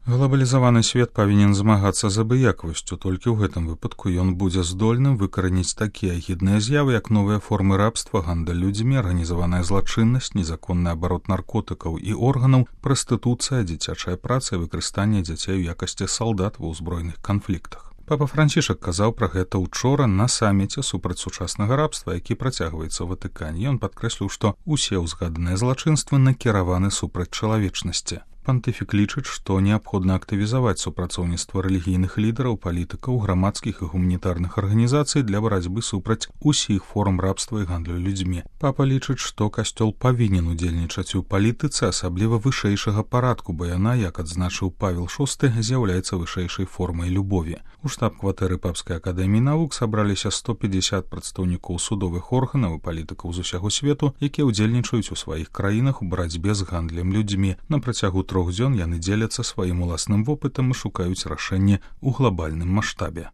Глобалізаваны свет павінен змагацца з абыякавасцю, толькі ў гэтым выпадку ён будзе здольным выкараніць такія агідныя з'явы, як новыя формы рабства, гандаль людзьмі, арганізаваная злачыннасць, незаконны абарот наркотыкаў і органаў, прастытуцыя, дзіцячая праца і выкарыстанне дзяцей у якасці салдат ва ўзброеных канфліктах. Папа Францішак казаў пра гэта ўчора на саміце супраць сучаснага рабства, які працягваецца ў Ватыкане. Ён падкрэсліў, што ўсе ўзгаданыя злачынствы накіраваны супраць чалавечнасці. Пантыфік лічыць, што неабходна актывізаваць супрацоўніцтва рэлігійных лідараў, палітыкаў, грамадскіх і гуманітарных арганізацый для барацьбы супраць усіх форм рабства і гандлю людзьмі. Папа лічыць, што касцёл павінен удзельнічаць у палітыцы, асабліва вышэйшага парадку, бо яна, як адзначыў Павел VI, з'яўляецца вышэйшай формай любові. У штаб-кватэры Папскай акадэміі навук сабраліся 150 прадстаўнікоў судовых органаў і палітыкаў з усяго свету, якія ўдзельнічаюць у сваіх краінах у барацьбе з гандлем людзьмі. На працягу 3 дзён яны дзеляцца сваім уласным вопытам і шукаюць рашэнне ў глобальным маштабе.